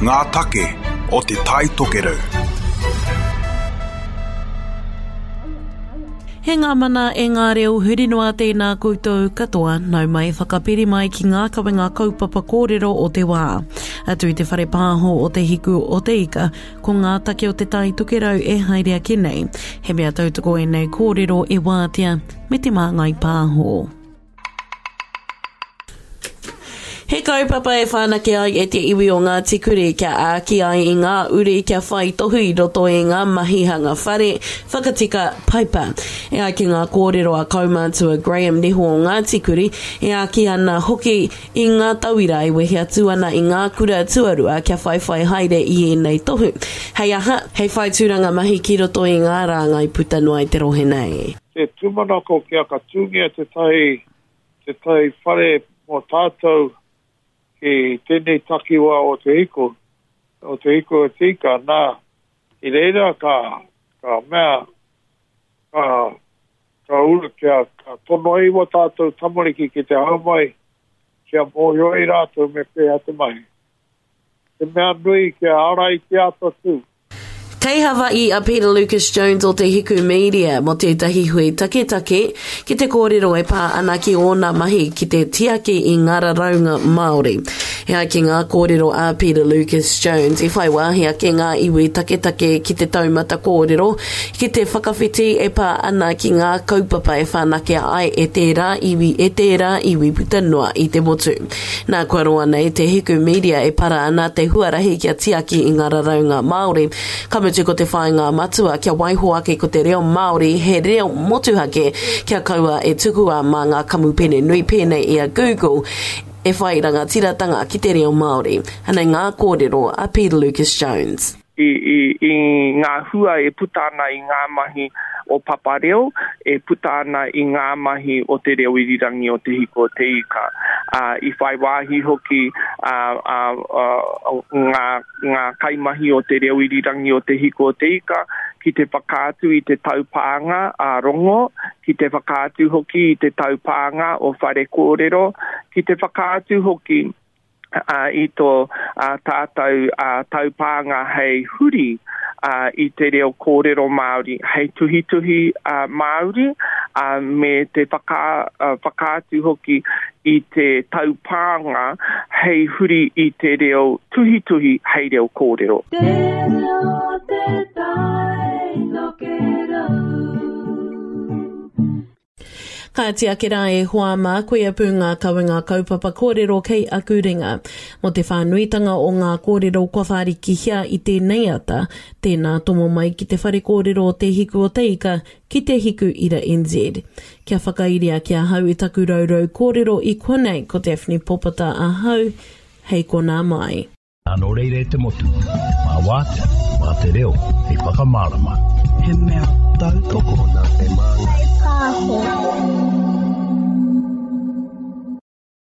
Ngā take o Te Tai Tokerau. He ngā mana e ngā reo huri noa tēnā koutou katoa, nau mai whakapiri mai ki ngā kawenga kaupapa kōrero o te wā. Atu i te whare pāho o Te Hiku o Te Ika, ko ngā take o Te Tai Tokerau e haere ake nei. He mea tautoko ēnei kōrero e wātea me te māngai pāho. He kaupapa e whanake ai e te iwi o Ngāti Kuri kia āki ai i ngā uri kia whai tohu i roto i ngā mahi hanga whare, whakatika paipa. E ai ki ngā kōrero a kaumātua Graham Niho o Ngāti Kuri, e āki ana hoki i ngā tauira e wehe atu ana i ngā kura tuarua kia whaiwhai haere i ēnei tohu. Hei aha? Hei whai tūranga mahi ki roto i ngā rāngai puta noa i te rohe nei. Te tūmanako kia ka tūngia tētahi, tētahi whare mō tātou ki tēnei takiwā o Te Hiku, o Te Hiku o Te Ika, nā, i reira ka, ka mea, ka, ka uru kia, ka tono ai wā tātou tamariki ki te hau mai, kia mōhio ai rātou me pēhea te mahi. Te mea nui kia ara i te ata tū. Kei Hawaii a Peter Lucas Jones o Te Hiku Media mō tētahi hui taketake ki te kōrero e pā ana ki ōna mahi ki te tiaki i ngā raraunga Māori. E ai ki ngā kōrero a Peter Lucas Jones, i whai wāhi ake ngā iwi taketake ki te taumata kōrero, ki te whakawhiti e pā ana ki ngā kaupapa e whanakea ai e tērā iwi, e tērā iwi puta noa i te motu. Nā, kua roa nei te Hiku Media e para ana te huarahi kia tiaki i ngā raraunga Māori. Ka mutu ko te whāinga matua kia waiho ake ko te reo Māori he reo motuhake kia kaua e tukua mā ngā kamupene nui pēnei i a Google e whai rangatiratanga ki te reo Māori. Anei ngā kōrero a Peter Lucas Jones. I, i, i ngā hua e puta ana i ngā mahi o Papa Reo, e puta ana i ngā mahi o te reo irirangi o Te Hiko o Te Ika. Ā, i whai wāhi hoki ā, ā, ā, ngā, ngā kaimahi o te reo irirangi o Te Hiko o Te Ika ki te whakaatu i te taupānga ā-rongo, ki te whakaatu hoki i te taupānga o Whare Kōrero, ki te whakaatu hoki i tō tātou taupānga hei huri i te reo kōrero Māori, hei tuhituhi Māori, me te whakaatu hoki i te taupānga hei huri i te reo tuhituhi hei reo kōrero. Te reo te tai tokerau. Kāti ake rā e hoa mā, koia pū ngā kawenga kaupapa kōrero kei aku ringa. Mō te whānuitanga o ngā kōrero kua whārikihia i tēnei ata, tēnā tomo mai ki te whare kōrero o Te Hiku o Te Ika ki Te Hiku Ira NZ. Kia whakairia ki ahau i taku rourou kōrero i konei ko Daphne Popata ahau, hei konā mai. Nā nō reira e te motu, mā wātea, mā te reo, hei whakamārama. He mea tautoko. Nā te māngai. Pāho.